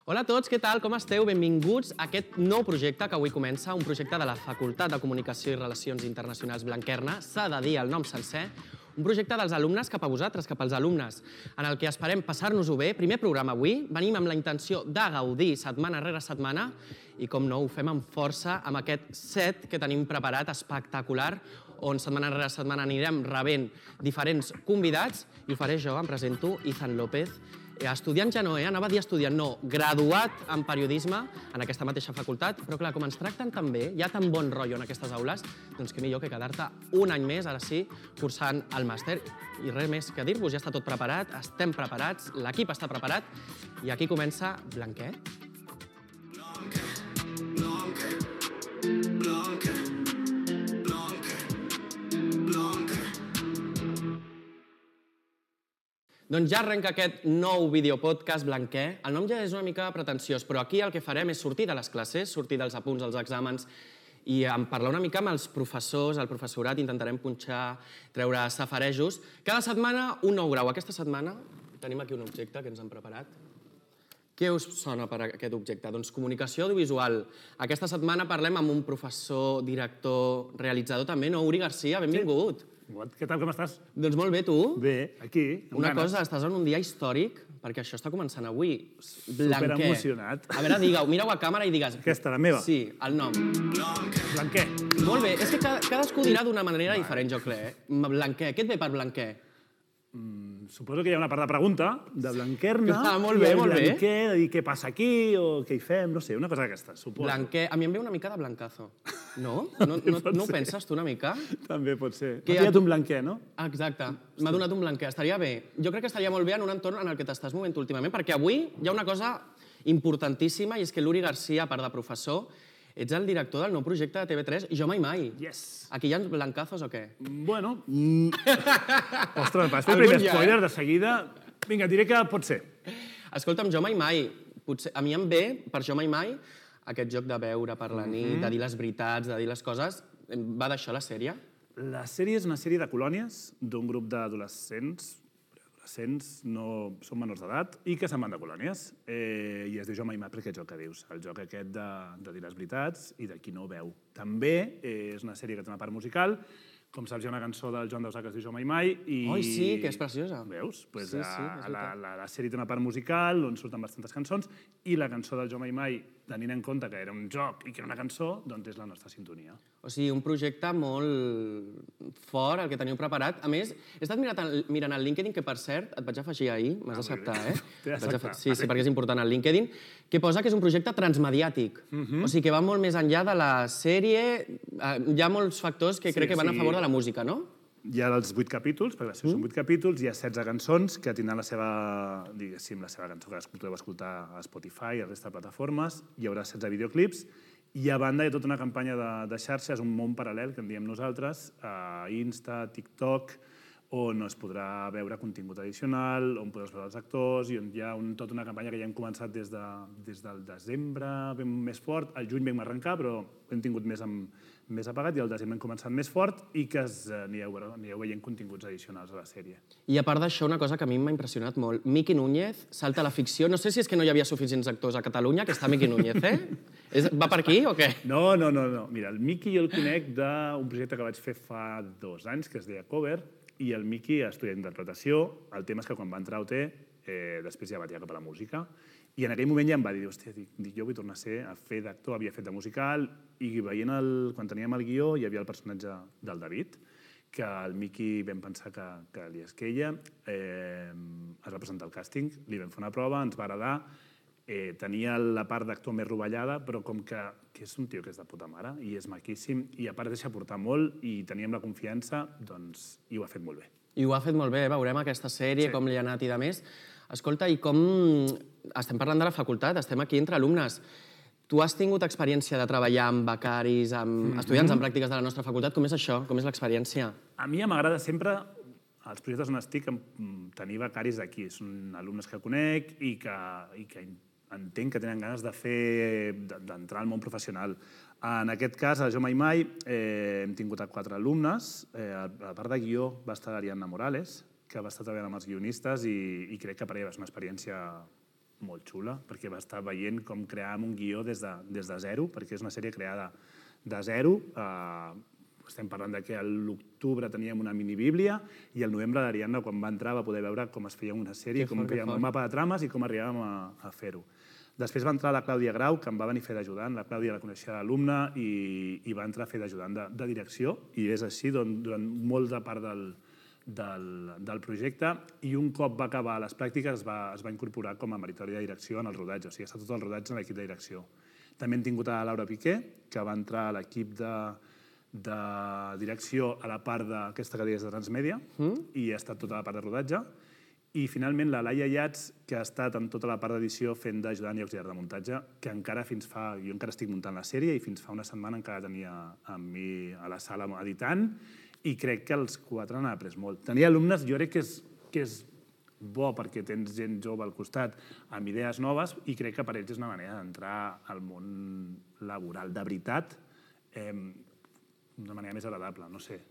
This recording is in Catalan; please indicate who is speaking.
Speaker 1: Hola a tots, què tal? Com esteu? Benvinguts a aquest nou projecte que avui comença, un projecte de la Facultat de Comunicació i Relacions Internacionals Blanquerna, s'ha de dir el nom sencer, un projecte dels alumnes cap a vosaltres, cap als alumnes, en el que esperem passar-nos-ho bé. Primer programa avui, venim amb la intenció de gaudir setmana rere setmana i, com no, ho fem amb força amb aquest set que tenim preparat espectacular, on setmana rere setmana anirem rebent diferents convidats i ho faré jo, em presento, Izan López, estudiant ja no, anava a dir estudiant, no, graduat en periodisme en aquesta mateixa facultat, però clar, com ens tracten tan bé, hi ha tan bon rotllo en aquestes aules, doncs què millor que quedar-te un any més, ara sí, cursant el màster. I res més que dir-vos, ja està tot preparat, estem preparats, l'equip està preparat, i aquí comença Blanquer. Doncs ja arrenca aquest nou videopodcast Blanquer. El nom ja és una mica pretensiós, però aquí el que farem és sortir de les classes, sortir dels apunts, dels exàmens i parlar una mica amb els professors, el professorat, intentarem punxar, treure safarejos. Cada setmana un nou grau. Aquesta setmana tenim aquí un objecte que ens han preparat. Què us sona per aquest objecte? Doncs comunicació audiovisual. Aquesta setmana parlem amb un professor, director, realitzador també, no? Uri Garcia, benvingut.
Speaker 2: Què tal, com estàs?
Speaker 1: Doncs molt bé, tu?
Speaker 2: Bé, aquí, amb
Speaker 1: Una
Speaker 2: ganes.
Speaker 1: cosa, estàs en un dia històric, perquè això està començant avui. Blanquer.
Speaker 2: Superemocionat.
Speaker 1: A veure, digueu, mireu a càmera i digues...
Speaker 2: Aquesta, la meva?
Speaker 1: Sí, el nom.
Speaker 2: Blanquer.
Speaker 1: Molt bé, és que cadascú dirà d'una manera diferent, jo crec. Blanquer, què et ve per Blanquer?
Speaker 2: Suposo que hi ha una part de pregunta, de Blanquerna,
Speaker 1: Molt bé, molt bé.
Speaker 2: Blanquer, de dir què passa aquí, o què hi fem, no sé, una cosa d'aquesta, suposo.
Speaker 1: Blanquer, a mi em ve una mica de blancazo. No? No ho penses tu una mica?
Speaker 2: També pot ser.
Speaker 1: Que
Speaker 2: M'ha tirat un Blanquer, no?
Speaker 1: Exacte, m'ha donat un Blanquer, estaria bé. Jo crec que estaria molt bé en un entorn en el que t'estàs movent últimament, perquè avui hi ha una cosa importantíssima, i és que l'Uri Garcia, a part de professor, ets el director del nou projecte de TV3, Jo Mai Mai.
Speaker 2: Yes.
Speaker 1: Aquí hi ha blancazos o què?
Speaker 2: Bueno... Ostres, vas fer el primer spoiler de seguida. Vinga, diré que pot ser.
Speaker 1: Escolta'm, Jo Mai Mai, potser, a mi em ve, per Jo Mai Mai, aquest joc de veure per la nit, de dir les veritats, de dir les coses. Va d'això la sèrie?
Speaker 2: La sèrie és una sèrie de colònies d'un grup d'adolescents, no són menors d'edat, i que se'n van de colònies. I es diu Jo Mai Mai perquè és el que dius, el joc aquest de dir les veritats i de qui no ho veu. També és una sèrie que té una part musical, com saps hi ha una cançó del Joan Dausà que es diu Jo Mai Mai.
Speaker 1: Oi, sí, que és preciosa.
Speaker 2: Veus?
Speaker 1: Sí,
Speaker 2: La sèrie té una part musical on surten bastantes cançons i la cançó del Jo Mai Mai, tenint en compte que era un joc i que era una cançó, doncs és la nostra sintonia.
Speaker 1: O sigui, un projecte molt fort, el que teniu preparat. A més, he estat mirant el LinkedIn, que per cert, et vaig afegir ahir, m'has d'acceptar, eh?
Speaker 2: T'he d'acceptar.
Speaker 1: Sí, perquè és important el LinkedIn, que posa que és un projecte transmediàtic. O sigui, que va molt més enllà de la sèrie. Hi ha molts factors que crec que van a favor de la música, no?
Speaker 2: Hi ha els 8 capítols, perquè són 8 capítols, hi ha 16 cançons que tindran la seva, diguéssim, la seva cançó que podeu escoltar a Spotify i a la resta de plataformes. Hi haurà 16 videoclips i a banda hi ha tota una campanya de xarxes, un món paral·lel, que en diem nosaltres, a Insta, TikTok, on es podrà veure contingut addicional, on podràs veure els actors, i on hi ha tota una campanya que ja hem començat des del desembre, ben més fort. Al juny vam arrencar, però hem tingut més apagat, i al desembre hem començat més fort, i que anireu veient continguts addicionals a la sèrie.
Speaker 1: I a part d'això, una cosa que a mi m'ha impressionat molt. Miki Núñez salta a la ficció. No sé si és que no hi havia suficients actors a Catalunya, que està Miki Núñez, eh? Va per aquí o què?
Speaker 2: No. Mira, el Miki jo el conec d'un projecte que vaig fer fa 2 anys, que es deia Cover, i el Miki estudia interpretació. El tema és que quan va entrar a OT, després ja va tirar cap a la música, i en aquell moment ja em va dir, hòstia, jo vull tornar a fer d'actor, havia fet de musical, i veient quan teníem el guió hi havia el personatge del David, que el Miki vam pensar que li esqueia, es va presentar al càsting, li vam fer una prova, ens va agradar, tenia la part d'actor més rovellada, però com que és un tio que és de puta mare, i és maquíssim, i a part deixa portar molt, i teníem la confiança, doncs, i ho ha fet molt bé.
Speaker 1: I ho ha fet molt bé, veurem aquesta sèrie, com li ha anat i de més. Escolta, i com... Estem parlant de la facultat, estem aquí entre alumnes. Tu has tingut experiència de treballar amb becaris, amb estudiants en pràctiques de la nostra facultat. Com és això? Com és l'experiència?
Speaker 2: A mi m'agrada sempre, als projectes on estic, tenir becaris d'aquí. Són alumnes que conec i que entenc que tenen ganes d'entrar al món professional. En aquest cas, a Jo Mai Mai, hem tingut 4 alumnes. A part de guió va estar l'Ariadna Morales, que va estar treballant amb els guionistes, i crec que per ella va ser una experiència molt xula, perquè va estar veient com creàvem un guió des de zero, perquè és una sèrie creada de zero. Estem parlant que a l'octubre teníem una minibíblia i al novembre l'Ariadna, quan va entrar, va poder veure com es feia una sèrie, com fèiem un mapa de trames i com arribàvem a fer-ho. Després va entrar la Clàudia Grau, que em va venir a fer d'ajudant. La Clàudia la coneixia d'alumne i va entrar a fer d'ajudant de direcció. I és així durant molta part del projecte. I un cop va acabar les pràctiques es va incorporar com a meritori de direcció en el rodatge. O sigui, ha estat tot el rodatge en l'equip de direcció. També hem tingut a Laura Piqué, que va entrar a l'equip de direcció a la part d'aquesta que deies de Transmèdia i ha estat tota la part de rodatge. I finalment la Laia Yats, que ha estat en tota la part d'edició fent d'ajudant i auxiliar de muntatge, que encara jo encara estic muntant la sèrie i fins fa una setmana encara tenia amb mi a la sala editant i crec que els 4 han après molt. Tenir alumnes jo crec que és bo perquè tens gent jove al costat amb idees noves i crec que per ells és una manera d'entrar al món laboral de veritat d'una manera més agradable, no sé.